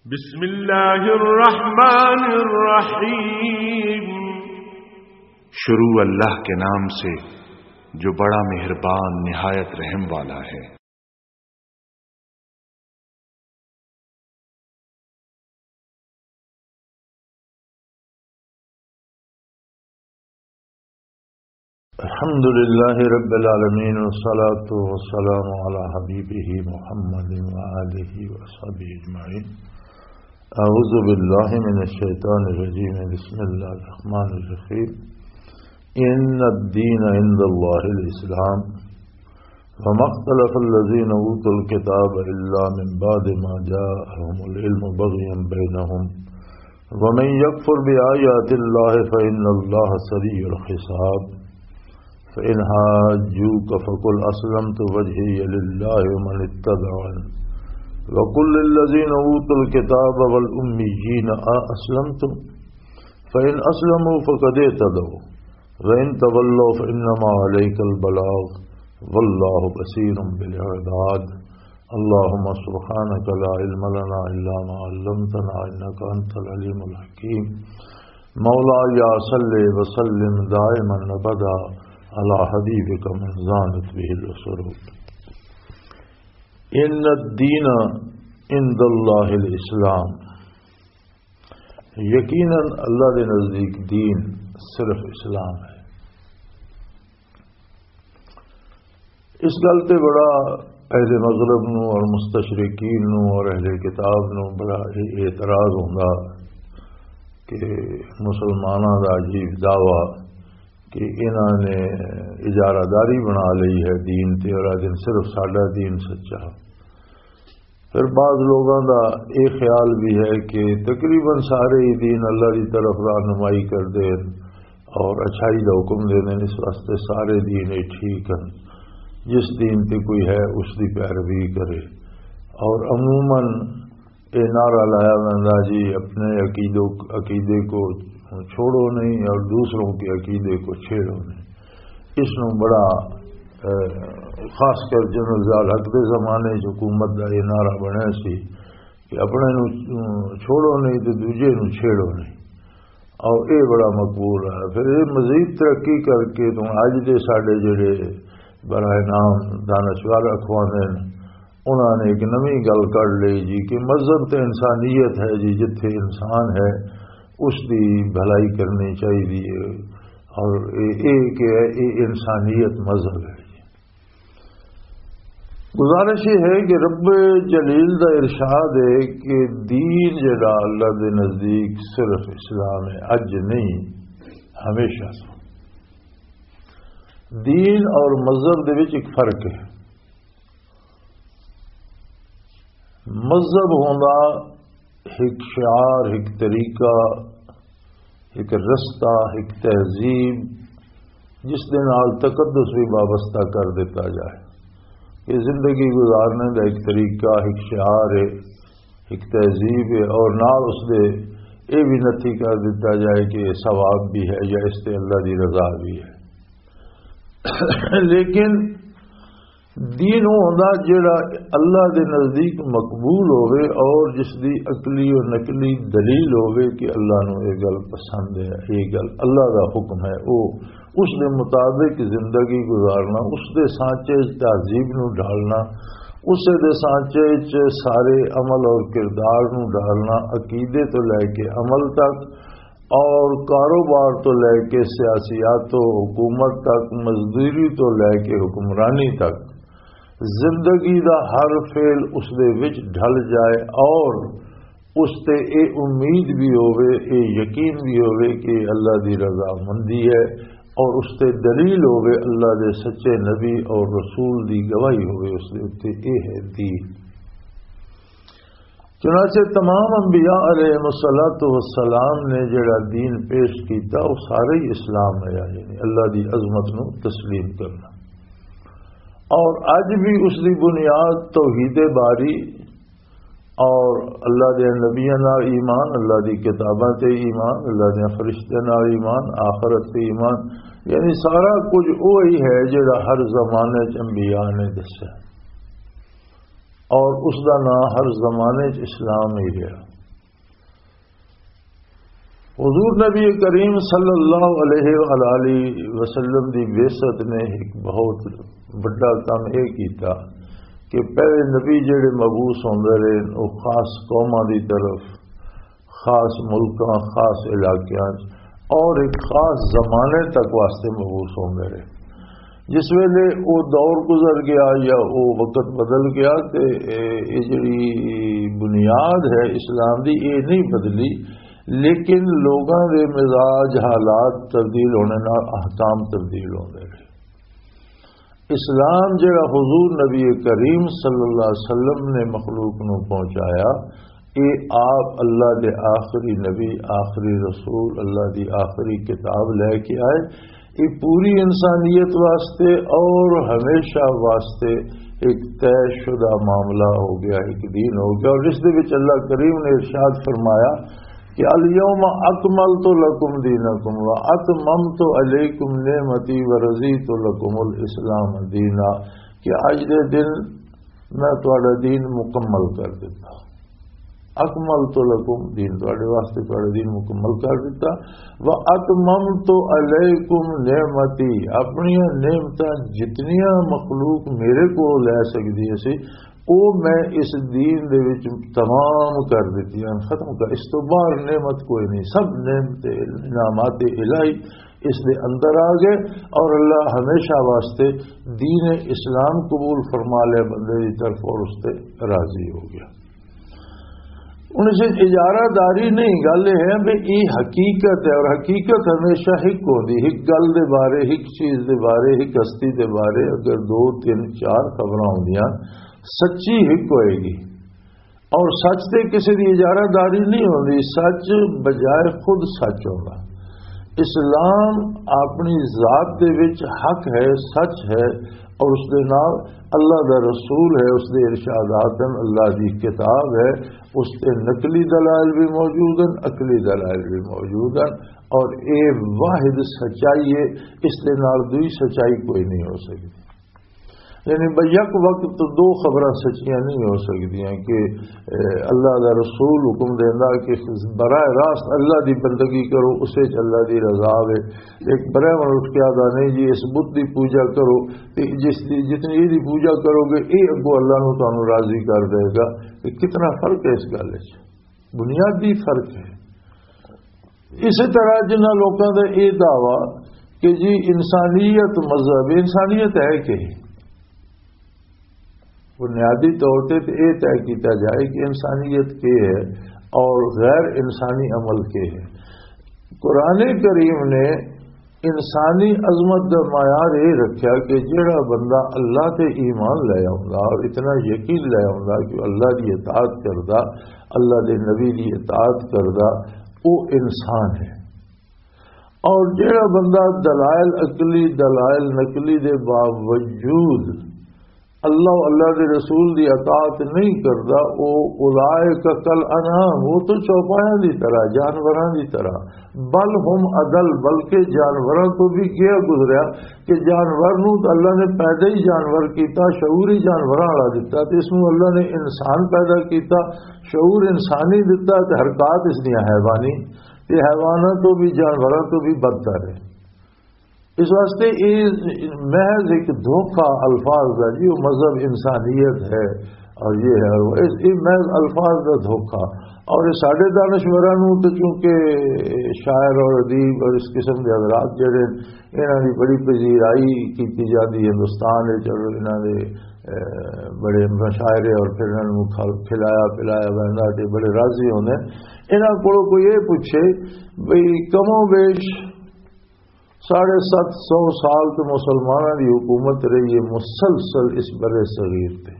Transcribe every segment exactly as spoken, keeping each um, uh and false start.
بسم اللہ الرحمن الرحیم۔ شروع اللہ کے نام سے جو بڑا مہربان نہایت رحم والا ہے۔ الحمد لله رب العالمين، والصلاة والسلام على حبيبه محمد وآله وصحبه أجمعين. أعوذ بالله من الشيطان الرجيم. بسم الله الرحمن الرحيم. إن الدين عند الله الإسلام. وما اختلف الذين أوتوا الكتاب إلا من بعد ما جاءهم العلم بغيا بينهم. ومن يكفر بآيات الله فإن الله سريع الحساب. فإن حاجوك فقل أسلمت وجهي لله ومن اتبعني وقل للذين أوتوا الكتاب والأميين أأسلمتم؟ فإن أسلموا فقد اهتدوا وإن تولوا فإنما عليك البلاغ والله بصير بالعباد. اللهم سبحانك لا علم لنا إلا ما علمتنا إنك أنت العليم الحكيم. مولاي صل وسلم دائما أبدا على حبيبك من زانت به العصور. إن الدين عند الله الإسلام. یقیناً اللہ دے نزدیک دین صرف اسلام ہے۔ اس گل تے بڑا اہل مغرب نو اور مستشرقین نو اور اہل کتاب نو بڑا اعتراض ہوندا کہ مسلماناں دا عجیب دعویٰ کہ انہاں نے اجارہ داری بنا لئی ہے دین تے، اور آدھے صرف ساڈا دین سچا۔ پھر بعض لوگاں دا یہ خیال بھی ہے کہ تقریباً سارے ہی دین اللہ دی طرف رہنمائی کردے ہیں اور اچھائی دا حکم دے دیں، اس واسطے سارے دین ہی ٹھیک ہیں۔ جس دین تے کوئی ہے، اس دی پیروی کرے۔ اور عموماً یہ نعرہ لایا جاتا جی، اپنے عقیدوں عقیدے کو چھوڑو نہیں اور دوسروں کے عقیدے کو چھیڑو نہیں۔ اس نو بڑا، اے، خاص کر جنرل ضیاء الحق دے زمانے چ حکومت دا یہ نعرہ بنیا سی کہ اپنے نو، اے، چھوڑو نہیں تے دوجے نو چھیڑو نہیں۔ اور یہ بڑا مقبول ہے۔ پھر یہ مزید ترقی کر کے تو اج دے ساڈے جڑے برائے نام دانشور اخواندے نے، انہاں نے ایک نویں گل کڈ لئی جی کہ مذہب تے انسانیت ہے جی، جتھے انسان ہے اس دی بھلائی کرنی چاہیے ہے۔ اور اے، اے کہ ہے، اے انسانیت مذہب ہے جی۔ گزارش یہ ہے کہ رب جلیل دا ارشاد ہے کہ دین جڑا اللہ دے نزدیک صرف اسلام ہے، اج نہیں، ہمیشہ سے۔ دین اور مذہب دے وچ ایک فرق ہے۔ مذہب ہوندا ایک شعار، ایک طریقہ، ایک رستہ، ایک تہذیب، جس دے نال تقدس بھی وابستہ کر دیتا جائے۔ یہ زندگی گزارنے دا ایک طریقہ، ایک شعار ہے، ایک تہذیب ہے، اور نال اس دے یہ بھی نفی کر دیتا جائے کہ یہ ثواب بھی ہے یا اس تے اللہ دی رضا بھی ہے۔ لیکن دین وہ ہوندا جیڑا اللہ دے نزدیک مقبول ہووے اور جس دی عقلی و نقلی دلیل ہووے کہ اللہ نو یہ گل پسند ہے، یہ گل اللہ دا حکم ہے، وہ اس دے مطابق زندگی گزارنا، اس دے سانچے وچ تہذیب نو ڈھالنا، اس دے سانچے وچ سارے عمل اور کردار نو ڈھالنا، عقیدے تو لے کے عمل تک، اور کاروبار تو لے کے سیاسیات و حکومت تک، مزدوری تو لے کے حکمرانی تک، زندگی دا ہر فعل اس دے وچ ڈھل جائے اور اس تے اے امید بھی ہووے، اے یقین بھی ہووے کہ اللہ دی رضامندی ہے اور اس تے دلیل ہووے، اللہ دے سچے نبی اور رسول دی گواہی ہووے اس دے اُتے، اے ہے دین۔ چنانچہ تمام انبیاء علیہ الصلوۃ والسلام نے جڑا دین پیش کیتا، وہ سارے ہی اسلام ہے، یعنی اللہ دی عظمت نو تسلیم کرنا۔ اور اج بھی اس دی بنیاد توحید باری اور اللہ دے نبیاں نال ایمان، اللہ دی کتاباں تے ایمان، اللہ دے فرشتیاں نال ایمان، آخرت تے ایمان، یعنی سارا کچھ وہی ہے جڑا ہر زمانے چ انبیاء نے دسیا۔ اور اس دا نام ہر زمانے چ اسلام ہی رہا۔ حضور نبی کریم صلی اللہ علیہ وآلہ وسلم دی بعثت نے ایک بہت بڑا کام یہ کیتا کہ پہلے نبی جڑے مبعوث ہوندے رہے، وہ خاص قوماں دی طرف، خاص ملکاں، خاص علاقیاں اور ایک خاص زمانے تک واسطے مبعوث ہوندے رہے۔ جس ویلے وہ دور گزر گیا یا وہ وقت بدل گیا، تے اے، اے جڑی بنیاد ہے اسلام دی، اے نہیں بدلی، لیکن لوگاں دے مزاج، حالات تبدیل ہونے نال احکام تبدیل ہوندے رہے۔ اسلام جڑا حضور نبی کریم صلی اللہ علیہ وسلم نے مخلوق نو پہنچایا، اے آپ اللہ دے آخری نبی، آخری رسول، اللہ دی آخری کتاب لے کے آئے۔ یہ پوری انسانیت واسطے اور ہمیشہ واسطے ایک طے شدہ معاملہ ہو گیا، ایک دین ہو گیا۔ اور اس دے وچ اللہ کریم نے ارشاد فرمایا کہ الیوم اکملت لکم دینکم و اتممت علیکم نعمتی و رضیت لکم الاسلام دینا، کہ اج دے دن میں تہاڈا دین مکمل کر دتا۔ اکملت لکم دین، تہاڈے واسطے تہاڈا دین مکمل کر دتا۔ و اتممت علیکم نعمتی، اپنی نعمتاں جتنیاں مخلوق میرے کو لے سکدی سی، او میں اس دین دے وچ تمام کر دتیاں، ختم کر، اس تو باہر نعمت کوئی نہیں، سب نعمت انعامات الہی اس دے اندر آ گئے، اور اللہ ہمیشہ واسطے دین اسلام قبول فرما لیا بندے دی طرف اور اس تے راضی ہو گیا۔ ہن اس وچ اجارہ داری نہیں، گل یہ ہے بھی یہ حقیقت ہے، اور حقیقت ہمیشہ ہک ہوندی، ہک گل دے بارے، ہک چیز دے بارے، ہک ہستی دے بارے اگر دو، تین، چار خبراں ہوندیاں، سچی ہک ہوئے گی۔ اور سچ تے کسی دی اجارہ داری نہیں ہوندی، سچ بجائے خود سچ ہوندا۔ اسلام اپنی ذات دے وچ حق ہے، سچ ہے، اور اس دے نال اللہ دا رسول ہے، اس دے ارشادات ہیں، اللہ دی کتاب ہے، اس تے نقلی دلائل بھی موجود ہیں، عقلی دلائل بھی موجود ہیں، اور اے واحد سچائی ہے، اس دے نال دوئی سچائی کوئی نہیں ہو سکتی۔ یعنی بھئی یک وقت تو دو خبراں سچیاں نہیں ہو سکدیاں کہ، اے، اللہ دا رسول حکم دیندا کہ براہ راست اللہ دی بندگی کرو، اس وچ اللہ دی رضا وے۔ ایک براہ من اٹھ کے آدھا نہیں جی اس بت دی پوجا کرو، تے جس دی، جتنی یہ دی پوجا کرو گے، یہ اگوں اللہ نو تانوں راضی کر دے گا۔ تے کتنا فرق ہے اس گل وچ، بنیادی فرق ہے۔ اسی طرح جنہاں لوکاں دا یہ دعویٰ کہ جی انسانیت مذہب، انسانیت ہے کہ بنیادی طور تے تے یہ طے کیتا جائے کہ انسانیت کے ہے اور غیر انسانی عمل کے ہے۔ قرآن کریم نے انسانی عظمت دا معیار یہ رکھیا کہ جڑا بندہ اللہ تے ایمان لے آوندا اور اتنا یقین لے آوندا کہ اللہ دی اطاعت کردا، اللہ دے نبی دی اطاعت کردا، وہ انسان ہے۔ اور جڑا بندہ دلائل عقلی، دلائل نقلی دے باوجود اللہ و اللہ دے رسول دی اطاعت نہیں کردا، او اولئک کل انعام، وہ تو چوپایاں دی طرح، جانوراں دی طرح، بل ہم اضل، بلکہ جانوراں تو بھی گیا گزریا کہ جانور نو تو اللہ نے پیدا ہی جانور کیتا، شعور ہی جانوراں والا دتا، تے اس نو اللہ نے انسان پیدا کیتا، شعور انسانی دتا، تے حرکات اس دیاں حیوانی، تے حیواناں تو بھی، جانوراں تو بھی بدتر ہے۔ اس واسطے یہ محض ایک دھوکہ الفاظ دا جی، وہ مذہب انسانیت ہے اور یہ ہے اور وہ، اس، یہ محض الفاظ دا دھوکہ۔ اور یہ ساڈے دانشوراں نوں تے چونکہ شاعر اور ادیب اور اس قسم دے حضرات جڑے، انہاں دی بڑی پذیرائی کیتی جاندی ہندوستان وچ، اور انہاں دے، اے، بڑے مشاعرے اور پھر انہاں نوں کھل-، کھلایا پلایا ویندا تے بڑے راضی ہوندے۔ انہاں کولوں کوئی یہ پوچھے بھئی کم و بیش ساڑھے ست سو سال تو مسلمانوں دی حکومت رہی ہے مسلسل اس بر صغیر تے۔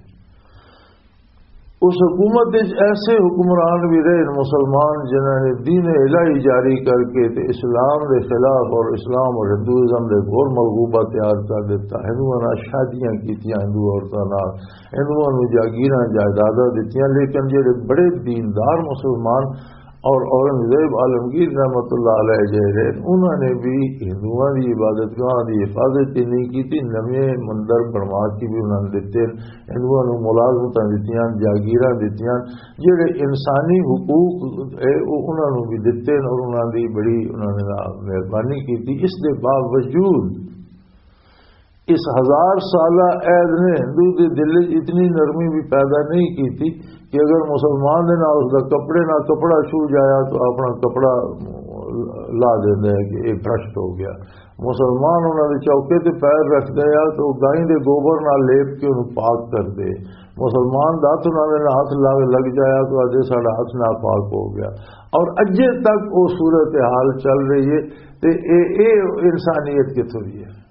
اس حکومت وچ ایسے حکمران بھی رہے مسلمان جنہاں نے دین الہی جاری کر کے تے اسلام دے خلاف اور اسلام اور ہندوازم دے گھور ملغوبہ تیار کر دیتا۔ ہندوؤں نال شادیاں کیتیاں، ہندو عورتاں نال، ہندوؤں نوں جاگیراں جائیداداں دتیاں، لیکن جڑے بڑے دیندار مسلمان اور اورنگزیب عالمگیر رحمت اللہ علیہ جہے رہے، انہوں نے بھی ہندوؤں کی عبادت گاہ کی حفاظت ہی نہیں کی تھی، نویں مندر بنوا کے بھی انہوں نے دیتے۔ ہندوؤں نے ملازمتاں دتیاں، جاگیراں دتیاں، جڑے انسانی حقوق ہے، وہ انہوں نے بھی دیتے اور انہوں نے بڑی، انہوں نے مہربانی کی تھی۔ اس دے باوجود اس ہزار سالہ عہد نے ہندو دے دل وچ اتنی نرمی بھی پیدا نہیں کیتی کہ اگر مسلمان دے نال اس دا کپڑے نال کپڑا چھو جایا تو اپنا کپڑا لا دیندا ہے کہ یہ بھرشٹ ہو گیا۔ مسلمان انہاں دے چوکے تے پیر رکھدے آ تو گائیں دے گوبر نال لیپ کے انہوں پاک کر دے۔ مسلمان دا ہاتھ انہاں دے نال ہاتھ لگ لگ جایا تو آدھے ساڈا ہاتھ ناپاک ہو گیا۔ اور اجے تک وہ صورتحال چل رہی ہے۔ تے اے اے انسانیت کتھوں دی ہے؟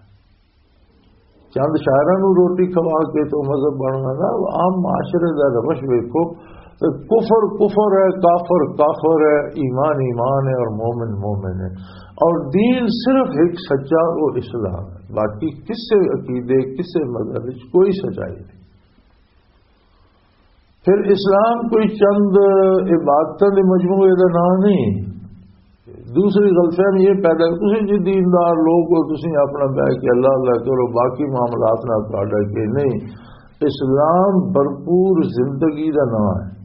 چند شاعراں نوں روٹی کھوا کے تو مذہب بننا نا، عام معاشرے دا روش ویکھو تے کفر کفر ہے، کافر کافر ہے، ایمان ایمان ہے اور مومن مومن ہے۔ اور دین صرف ایک سچا، وہ اسلام ہے، باقی کسے عقیدے، کسے مذہب وچ کوئی سچائی نہیں۔ پھر اسلام کوئی چند عبادتاں دے مجموعے دا نام نہیں۔ دوسری غلط فہمی یہ پیدا ہے، تسی جی دیندار لوگ ہو، تسی اپنا بہ کے اللہ اللہ کرو، باقی معاملات نہ تہاڈا کے نہیں۔ اسلام بھرپور زندگی دا نام ہے۔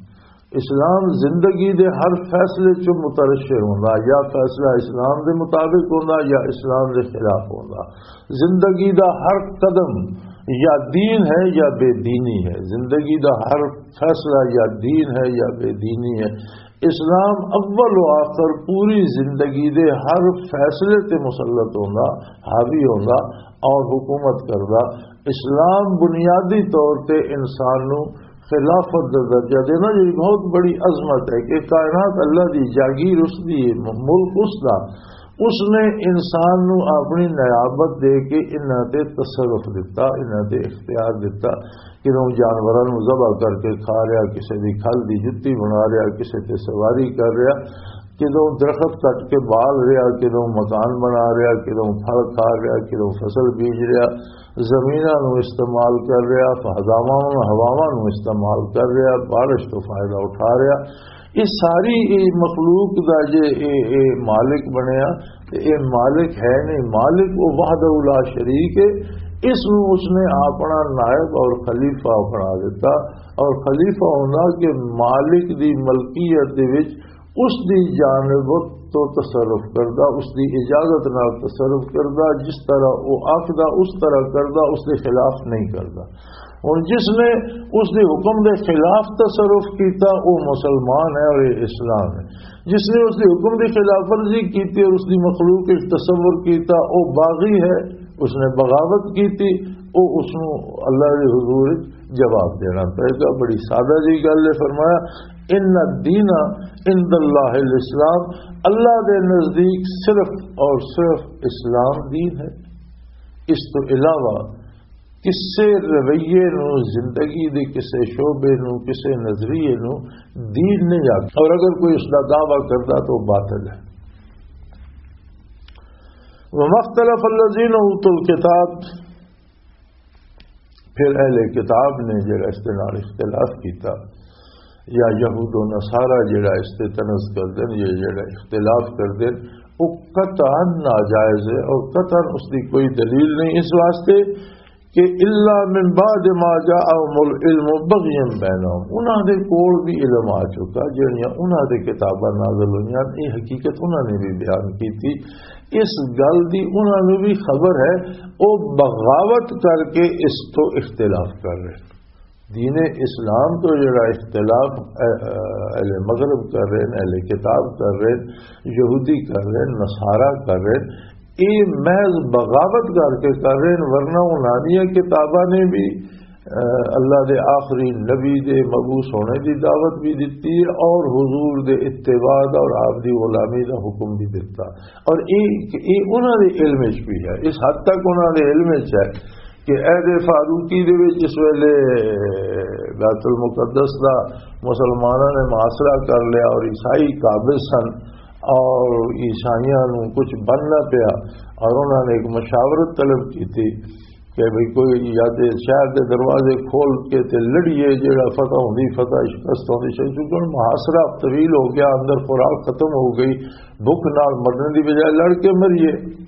اسلام زندگی دے ہر فیصلے چ مترشح ہوندا، یا فیصلہ اسلام دے مطابق ہوندا یا اسلام دے خلاف ہوندا۔ زندگی دا ہر قدم یا دین ہے یا بے دینی ہے، زندگی دا ہر فیصلہ یا دین ہے یا بے دینی ہے۔ اسلام اول و آخر پوری زندگی دے ہر فیصلے تے مسلط ہوندا، حاوی ہوندا اور حکومت کردا۔ اسلام بنیادی طور تے انسان نو خلافت دا درجہ دینا، جڑی بہت بڑی عظمت ہے کہ کائنات اللہ دی جاگیر اس دی، ملک اس دا، اس نے انسان نو اپنی نیابت دے کے انہاں تے تصرف دتا، انہاں تے اختیار دتا۔ کدوں جانوراں نو ذبح کر کے کھا رہا، کسے دی کھل دی جتی بنا رہا، کسے تے سواری کر رہا، کدوں درخت کٹ کے بال رہا، کدوں مکان بنا رہا، کدوں پھل کھا رہا، کدوں فصل بیج رہا، زمیناں نو استعمال کر رہا، فضاواں نو، ہواواں نو استعمال کر رہا، بارش تو فائدہ اٹھا رہا۔ یہ ساری، یہ مخلوق دا جے اے، اے مالک بنیا، تے اے مالک ہے نہیں، مالک وہ وحدہ لا شریک ہے۔ اس نو اس نے اپنا نائب اور خلیفہ بنا دیتا، اور خلیفہ ہونا کہ مالک دی ملکیت دے وچ اس دی جانب تو تصرف کردا، اس دی اجازت نال تصرف کردا، جس طرح وہ آکھدا اس طرح کردا، اس دے خلاف نہیں کردا۔ ہن جس نے اس دے حکم دے خلاف تصرف کیتا، وہ مسلمان ہے اور یہ اسلام ہے۔ جس نے اس دے حکم دی خلاف ورزی کیتی اور اس دی مخلوق وچ تصور کیتا، وہ باغی ہے، اس نے بغاوت کیتی، وہ اس نو اللہ دے حضور وچ جواب دینا پئے گا۔ بڑی سادہ جی گل ہے، فرمایا، "ان الدین عند اللہ الاسلام"، اللہ دے نزدیک صرف اور صرف اسلام دین ہے۔ اس تو علاوہ کسے رویے نو، زندگی دے کسے شعبے نو، کسے نظریے نو دین نہیں آکھیا۔ اور اگر کوئی اس دا دعویٰ کردا تو باطل ہے۔ وما اختلف الذین اوتوا الکتاب، پھر اہل کتاب نے جڑا اس دے نال اختلاف کیتا، یا یہود و نصارہ جڑا اس تے طنز کر دین، یا جڑا اختلاف کر دین، وہ قطعاً ناجائز ہے اور قطعاً اس دی کوئی دلیل نہیں اس واسطے کہ الا من بعد ما جاءهم العلم بغیا بینهم، انہاں دے کول بھی علم آ چکا، جڑیاں انہاں دے کتاباں نازل ہوئیاں، یہ حقیقت انہاں نے بھی بیان کی تھی، اس گل دی انہاں نوں بھی خبر ہے، وہ بغاوت کر کے اس تو اختلاف کر رہے۔ دین اسلام تو جڑا اختلاف اہ-، اہل مغرب کر رہے ہیں، اہل کتاب کر رہے ہیں، یہودی کر رہے ہیں، نصارہ کر رہے ہیں، یہ محض بغاوت کر کے کر رہے ہیں، ورنہ انہاں دیاں کتاباں نے بھی، اہ، اللہ دے آخری نبی دے مبعوث ہونے دی دعوت بھی دیتی ہے اور حضور دے اتباع دا اور آپ دی غلامی دا حکم بھی دیتا۔ اور یہ، یہ انہاں دے علم وچ بھی ہے، اس حد تک انہاں دے علم وچ ہے کہ عہد فاروقی دے وچ جس ویلے بیت المقدس دا مسلماناں نے محاصرہ کر لیا اور عیسائی قابض سن اور عیسائیاں نوں کچھ بننا پیا اور انہاں نے ایک مشاورت طلب کی تھی، کہ بھئی کوئی یا تے شہر دے دروازے کھول کے تے لڑیے، جیڑا فتح ہوندی، فتح شکست ہوندی، شکست، کیونکہ ہن محاصرہ طویل ہو گیا، اندر خوراک ختم ہو گئی، بھوک نال مرنے دی بجائے لڑ کے مریے۔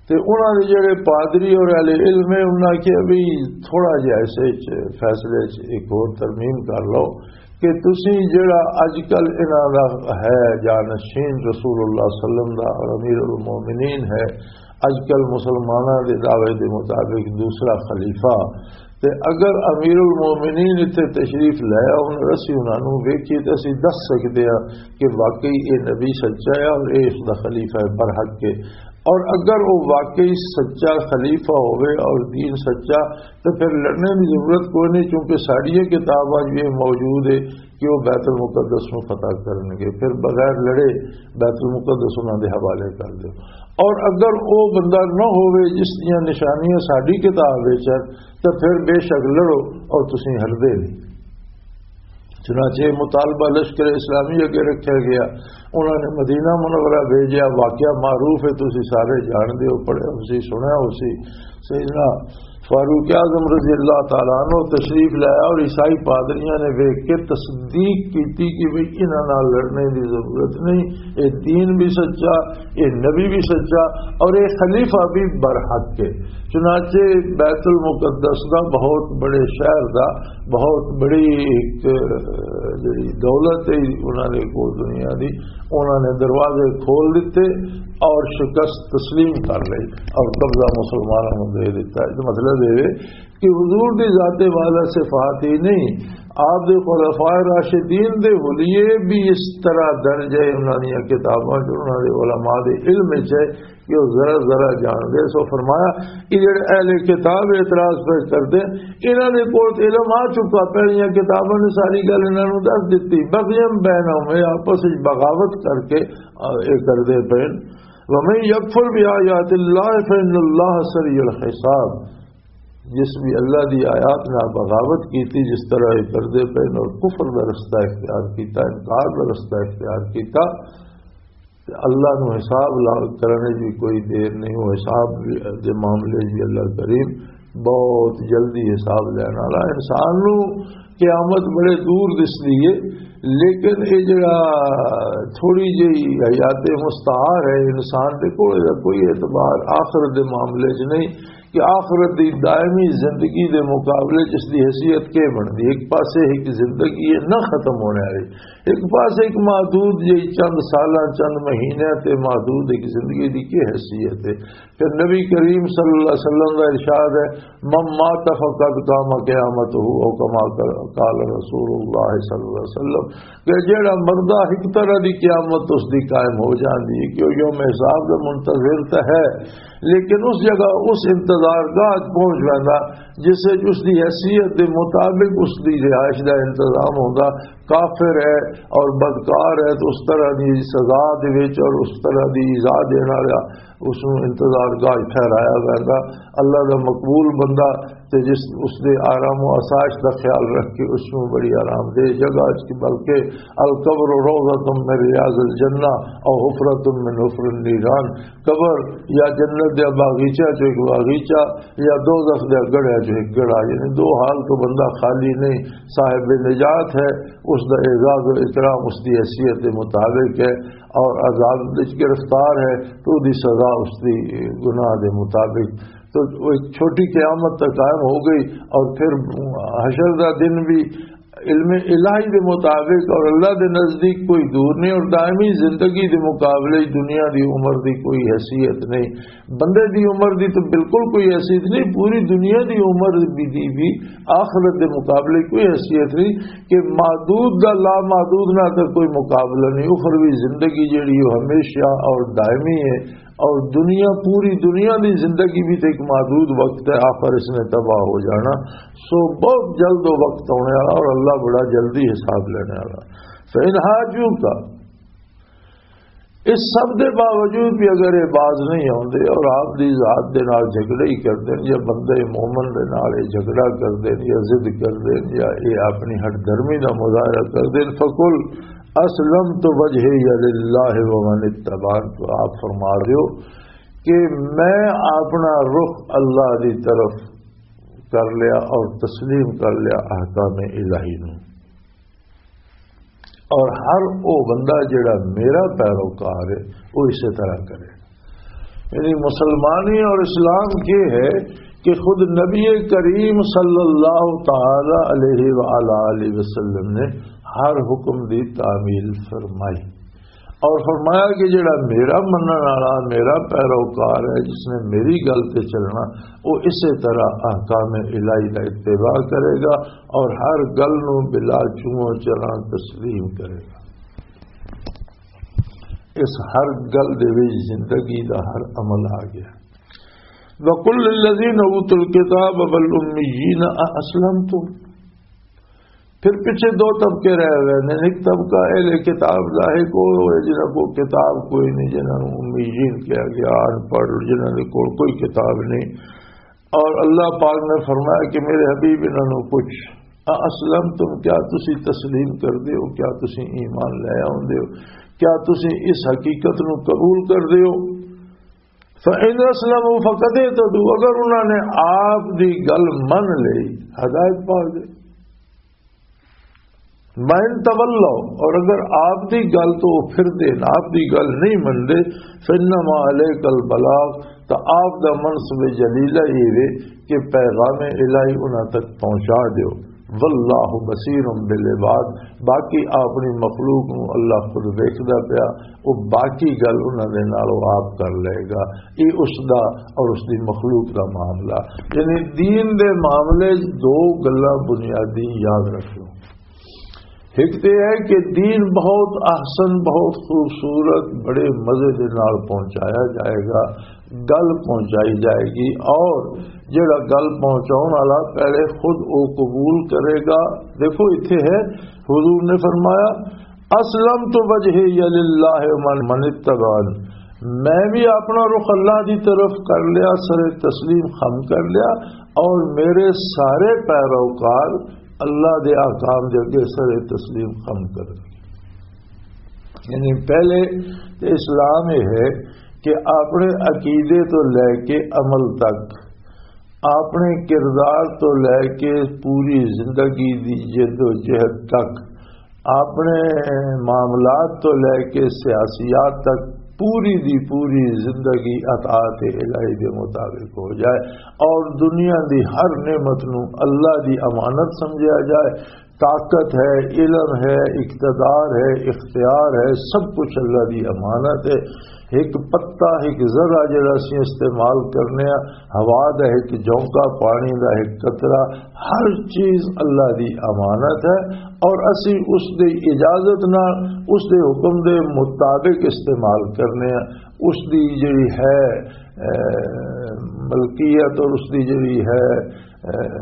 تے انہاں دے جڑے پادری اور اہل علم ہے، انہاں کہیا بھی تھوڑا جہا اس وچ فیصلے وچ ایک اور ترمیم کر لو کہ تسی جڑا اج کل انہاں دا ہے جانشین رسول اللہ صلی اللہ علیہ وسلم دا اور امیر المومنین ہے، اج کل مسلماناں دے دعوے دے مطابق دوسرا خلیفہ، تے اگر امیر المومنین اتھے تشریف لے آؤن، اسی انہاں نوں ویکھیے تے اسی دس سکدے ہاں کہ واقعی اے نبی سچا ہے اور اے اس دا خلیفہ ہے، برحق ہے۔ اور اگر وہ واقعی سچا خلیفہ ہوئے اور دین سچا، تو پھر لڑنے کی ضرورت کوئی نہیں، کیونکہ ساڈیاں کتاباں جو یہ موجود ہے کہ وہ بیت المقدس نو فتح کرن گے، پھر بغیر لڑے بیت المقدس انہاں دے حوالے کر دیو۔ اور اگر وہ بندہ نہ ہوئے جس دیاں نشانیاں ساڈی کتاب وچ ہن، تو پھر بے شک لڑو اور تسیں ہردے نہیں۔ چنانچہ یہ مطالبہ لشکر اسلامی اگے رکھا گیا۔ انہوں نے مدینہ منورہ بھیجا، واقعہ معروف ہے، تسی سارے جانتے ہو، پڑھے ہو سی، سنیا ہو سی۔ سیدنا فاروق اعظم رضی اللہ تعالیٰ عنہ تشریف لایا اور عیسائی پادریاں نے ویکھ کے تصدیق کی تھی کہ بھئی انہاں نال لڑنے دی ضرورت نہیں، اے دین بھی سچا، اے نبی بھی سچا اور اے خلیفہ بھی برحق ہے۔ چنانچہ بیت المقدس دا، بہت بڑے شہر دا، بہت بڑی ایک، اہ، جڑی دولت ہے انہاں دے کول دنیا دی، انہاں نے دروازے کھول دیتے اور شکست تسلیم کر لئی اور قبضہ مسلمانوں نوں دے دیتا۔ اس دا مطلب یہ ہے کہ حضور دی ذات والا صفات ہی نہیں، آپ دے خلفائے راشدین دے حلیے بھی اس طرح درج ہے انہاں دیاں کتاباں چ، انہاں دے علماء دے علم وچ ہے کہ وہ ذرا ذرا جان دے۔ سو فرمایا کہ جڑے اہل کتاب اعتراض پہ کردے، انہاں دے کول تے علم آ چکا، پہلیاں کتاباں نے ساری گل انہاں نوں دس دتی۔ بغیم بینہم، یہ آپس وچ بغاوت کر کے، آ، یہ کردے پئے۔ ومن یکفر بآیات اللہ فإن اللہ سریع الحساب۔ جس بھی اللہ دی آیات نال بغاوت کیتی، جس طرح یہ کردے پئے اور کفر دا رستہ اختیار کیتا، انکار دا رستہ اختیار کیتا، تے اللہ نو حساب لا-، کرنے دی کوئی دیر نہیں، وہ حساب بھی، دے معاملے بھی اللہ کریم بہت جلدی حساب لینے والا۔ انسان نو قیامت بڑے دور دسدی ہے، لیکن یہ جڑا تھوڑی جہی حیات مستعار ہے انسان دے کول، یہ کوئی اعتبار آخرت دے معاملے چ نہیں کہ آخرت دی دائمی زندگی دے مقابلے چ اس دی حیثیت کی بنتی۔ ایک پاسے ایک زندگی ہے نہ ختم ہونے والی، ایک پاسے ایک محدود جہی چند سالاں، چند مہینے تے محدود ایک زندگی دی کی حیثیت ہے۔ پھر نبی کریم صلی اللہ علیہ وسلم دا ارشاد ہے، "من مات فقد قام قیامتہ"، او کما قال رسول اللہ صلی اللہ علیہ وسلم، کہ جیڑا مردہ ایک طرح دی قیامت اس دی قائم ہو جاندی ہے، کہ وہ یوم حساب دا منتظر تے ہے، لیکن اس جگہ، اس انتظار گاہ پہنچ ویندا جس وچ اس دی حیثیت دے مطابق اس دی رہائش دا انتظام ہوندا۔ کافر ہے اور بدکار ہے تو اس طرح دی سزا دے وچ اور اس طرح دی ایذا دین والا اس نوں انتظار گاہ ٹھہرایا ویندا۔ اللہ دا مقبول بندہ تے جس اس دے آرام و آسائش دا خیال رکھ کے اس نوں بڑی آرام دہ جگہ اچ، بلکہ القبر روضۃ من ریاض الجنہ او حفرۃ من حفر النیران، قبر یا جنت دے باغیچہ چ ایک باغیچہ یا دوزخ دے گڑھے چ ایک گڑھا، یعنی دو حال تو بندہ خالی نہیں۔ صاحب نجات ہے، اس دا اعزاز و اکرام اس دی حیثیت دے مطابق ہے، اور عذاب وچ گرفتار ہے تو دی سزا اس دی گناہ دے مطابق۔ تو وہ ایک چھوٹی قیامت تک قائم ہو گئی، اور پھر حشر دا دن بھی علم الہی دے مطابق اور اللہ دے نزدیک کوئی دور نہیں، اور دائمی زندگی دے مقابلے دنیا دی عمر دی کوئی حیثیت نہیں۔ بندے دی عمر دی تو بالکل کوئی حیثیت نہیں، پوری دنیا دی عمر بھی، دی بھی آخرت دے مقابلے کوئی حیثیت نہیں، کہ محدود دا لامحدود نہ تو کوئی مقابلہ نہیں۔ اخروی زندگی جڑی وہ ہمیشہ اور دائمی ہے، اور دنیا، پوری دنیا دی زندگی بھی تو ایک محدود وقت ہے، آخر اس نے تباہ ہو جانا۔ سو بہت جلد وہ وقت آنے والا اور اللہ بڑا جلدی حساب لینے والا۔ فَإِنْ حَاجُّوكَ، اس سب دے باوجود بھی اگر یہ باز نہیں آتے اور آپ دی ذات دے نال جھگڑے ہی کردے یا بندے مومن دے نال یہ جھگڑا کردے یا ضد کردے یا یہ اپنی ہٹ دھرمی دا مظاہرہ کردے، فقل اسلمت وجهي لله ومن اتبعني، تو آپ فرما دیو کہ میں اپنا رخ اللہ دی طرف کر لیا اور تسلیم کر لیا احکام الہی نو، اور ہر او بندہ جڑا میرا پیروکار ہے، وہ اسی طرح کرے۔ یعنی مسلمانی اور اسلام یہ ہے کہ خود نبی کریم صلی اللہ تعالی علیہ وآلہ وسلم نے ہر حکم دی تعمیل فرمائی اور فرمایا کہ جڑا میرا منن والا، میرا پیروکار ہے، جس نے میری گل تے چلنا، وہ اسی طرح احکام الہی کا اتباع کرے گا اور ہر گل نو بلا چوں چرا تسلیم کرے گا۔ اس ہر گل دے وچ زندگی دا ہر عمل آ گیا۔ وَقُلْ لِلَّذِينَ أُوتُوا الْكِتَابَ وَالْأُمِّيِّينَ أَأَسْلَمْتُمْ؟ پھر پیچھے دو طبقے رہ گئے نے۔ ایک طبقہ اہل کتاب دا ہے، کوئی جنہاں کو کتاب کوئی نہیں، جنہاں نوں امیین کہا گیا، ان پڑھ، جنہاں دے کول کوئی کتاب نہیں۔ اور اللہ پاک نے فرمایا کہ میرے حبیب، انہاں نوں پوچھ، اسلم تم، کیا تسی تسلیم کر دیو؟ کیا تسی ایمان لے آؤندے ہو؟ کیا تسی اس حقیقت نوں قبول کر دیو؟ فَإِنْ أَسْلَمُوا فَقَدْ اهْتَدَوْا، اگر انہاں نے آپ دی گل من لئی، ہدایت پا گئے۔ وَإِنْ تَوَلَّوْا، اور اگر آپ دی گل تو وہ پھر دے، آپ دی گل نہیں من دے، فَإِنَّمَا عَلَيْكَ الْبَلَاغُ، تو آپ دا منصب جلیلہ یہ وے کہ پیغام الہی انہاں تک پہنچا دیو۔ وَاللَّهُ بَصِيرٌ بِالْعِبَادِ، باقی اپنی مخلوق نو اللہ خود ویکھدا پیا، وہ باقی گل انہاں دے نال وہ آپ کر لے گا۔ یہ اس دا اور اس دی مخلوق دا معاملہ، یعنی دین دے معاملے چ دو گلاں بنیادی یاد رکھو۔ ایک تے ہے کہ دین بہت احسن، بہت خوبصورت، بڑے مزے دے نال پہنچایا جائے گا، گل پہنچائی جائے گی، اور جڑا گل پہنچاؤن والا پہلے خود او قبول کرے گا۔ دیکھو، اتھے ہے، حضور نے فرمایا، "اسلمت وجهي لله ومن اتبعني"، میں بھی اپنا رخ اللہ دی طرف کر لیا، سر تسلیم خم کر لیا، اور میرے سارے پیروکار اللہ دے احکام دے اگے سر تسلیم خم کر دیا۔ یعنی پہلے تے اسلام یہ ہے کہ اپنے عقیدے تو لے کے عمل تک، اپنے کردار تو لے کے پوری زندگی دی جد و جہد تک، اپنے معاملات تو لے کے سیاسیات تک، پوری دی پوری زندگی اطاعت الہی دے مطابق ہو جائے اور دنیا دی ہر نعمت نو اللہ دی امانت سمجھا جائے۔ طاقت ہے، علم ہے، اقتدار ہے، اختیار ہے، سب کچھ اللہ دی امانت ہے۔ ایک پتا، ایک ذرہ جڑا اسی استعمال کرنے ہاں، ہوا دا ایک جھونکا، پانی دا ایک قطرہ، ہر چیز اللہ دی امانت ہے، اور اسی اس دی اجازت نال، اس دے حکم دے مطابق استعمال کرنے ہاں۔ اس دی جڑی ہے، اے، ملکیت اور اس دی جڑی ہے، اے،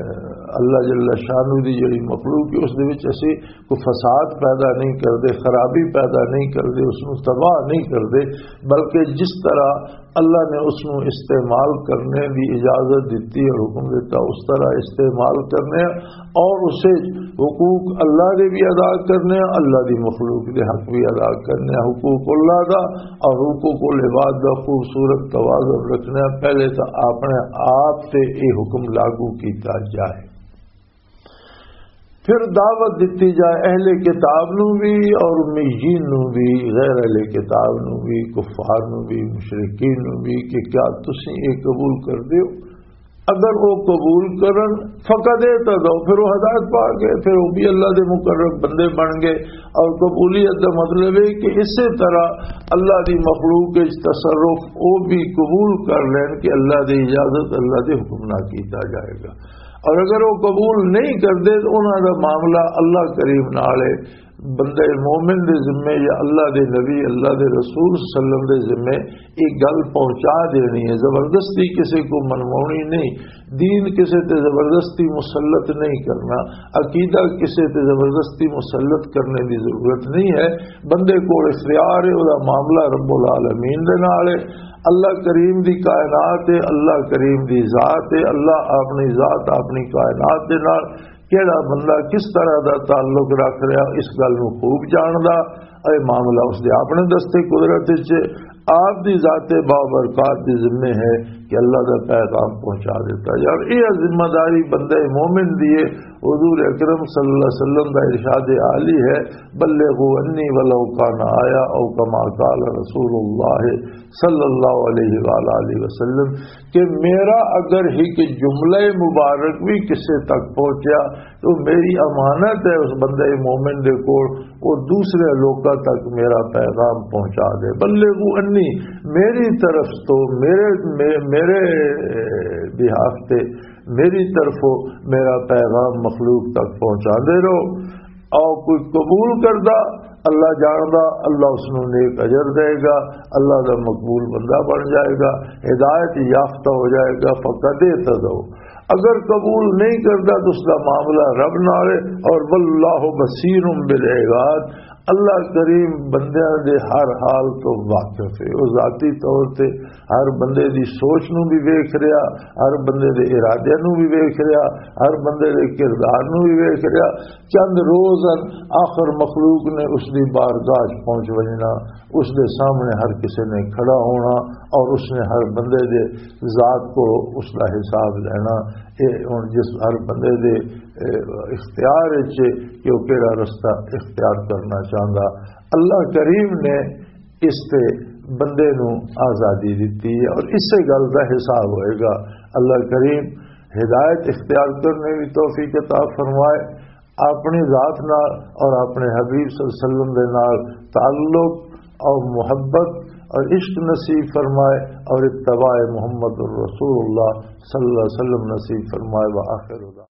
اللہ جل شانہ دی جڑی مخلوق ہے، اس دے وچ اسی کوئی فساد پیدا نہیں کردے، خرابی پیدا نہیں کردے، اس نوں تباہ نہیں کردے، بلکہ جس طرح اللہ نے اس نوں استعمال کرنے دی اجازت دتی اور حکم دیتا، اس طرح استعمال کرنے اور اسے حقوق اللہ دے بھی ادا کرنے، اللہ دی مخلوق دے حق بھی ادا کرنے، حقوق اللہ دا اور حقوق العباد دا خوبصورت توازن رکھنے۔ پہلے تو اپنے آپ تے یہ حکم لاگو کیتا جائے۔ پھر دعوت دتی جائے اہل کتاب نو بھی اور امیین نو بھی، غیر اہل کتاب نو بھی، کفار نو بھی، مشرکین نو بھی، کہ کیا تسی یہ قبول کر دیو؟ اگر وہ قبول کرن، فقد اہتدوا، پھر وہ ہدایت پا گئے، پھر وہ بھی اللہ دے مقرب بندے بن گئے۔ اور قبولیت دا مطلب ہے کہ اسی طرح اللہ دی مخلوق وچ تصرف وہ بھی قبول کر لین کہ اللہ دی اجازت، اللہ دے حکم نہ کیتا جائے گا۔ اور اگر وہ قبول نہیں کردے تو انہاں دا معاملہ اللہ کریم نال ہے۔ بندے مومن دے ذمے یا اللہ دے نبی، اللہ دے رسول صلی اللہ علیہ وسلم دے ذمے یہ گل پہنچا دینی ہے۔ زبردستی کسے کو منوانی نہیں، دین کسے تے زبردستی مسلط نہیں کرنا، عقیدہ کسے تے زبردستی مسلط کرنے دی ضرورت نہیں ہے۔ بندے کو اختیار ہے، وہ معاملہ رب العالمین دے نال ہے۔ اللہ کریم دی کائنات ہے، اللہ کریم دی ذات ہے، اللہ اپنی ذات اپنی کائنات دے نال کیڑا بندہ کس طرح دا تعلق رکھ رہا، اس گل نوں خوب جاندا۔ اے معاملہ اس دے اپنے دستے قدرت وچ ہے۔ آپ دی ذات بابرکات دی ذمے ہے کہ اللہ دا پیغام پہنچا دیتا۔ یار، یہ ذمہ داری بندہ مومن دی ہے۔ حضور اکرم صلی اللہ علیہ وسلم دا ارشاد عالی ہے، "بلغوا عنی ولو کان آیہ"، او کما قال رسول اللہ صلی اللہ علیہ وآلہ وسلم، کہ میرا اگر ہی کہ جملہ مبارک بھی کسے تک پہنچیا، تو میری امانت ہے اس بندے مومن دے کول، وہ دوسرے لوکاں تک میرا پیغام پہنچا دے۔ بلغوا عنی، میری طرف تو، میرے، مے-، میرے بہاف تے، میری طرفوں میرا پیغام مخلوق تک پہنچا دے رہو۔ او کوئی قبول کردا، اللہ جاندا، اللہ اس نوں نیک اجر دے گا، اللہ دا مقبول بندہ بن جائے گا، ہدایت یافتہ ہو جائے گا۔ فقد اہتدوا، اگر قبول نہیں کردا تو اس دا معاملہ رب نال ہے۔ اور واللہ بصیر بالعباد، اللہ کریم بندیاں دے ہر حال تو واقف ہے۔ وہ ذاتی طور تے ہر بندے دی سوچ نوں بھی ویکھ رہیا، ہر بندے دے ارادے نوں بھی ویکھ رہیا، ہر بندے دے کردار نوں بھی ویکھ رہیا۔ چند روز ہن، آخر مخلوق نے اس دی بارگاہ چ پہنچ وجنا، اس دے سامنے ہر کسی نے کھڑا ہونا اور اس نے ہر بندے دے ذات کو اس دا حساب لینا۔ یہ ہن جس ہر بندے دے، اے، اختیار وچ کہ وہ کیڑا رستہ اختیار کرنا چاہندا۔ اللہ کریم نے اس تے بندے نو آزادی دتی ہے اور اسے گل دا حساب ہوئے گا۔ اللہ کریم ہدایت اختیار کرنے کی توفیق عطا فرمائے۔ اپنی ذات نال اور اپنے حبیب صلی اللہ علیہ وسلم دے نال تعلق اور محبت اور عشق نصیب فرمائے اور اتباع محمد الرسول اللہ صلی اللہ علیہ وسلم نصیب فرمائے۔ وآخر دعوانا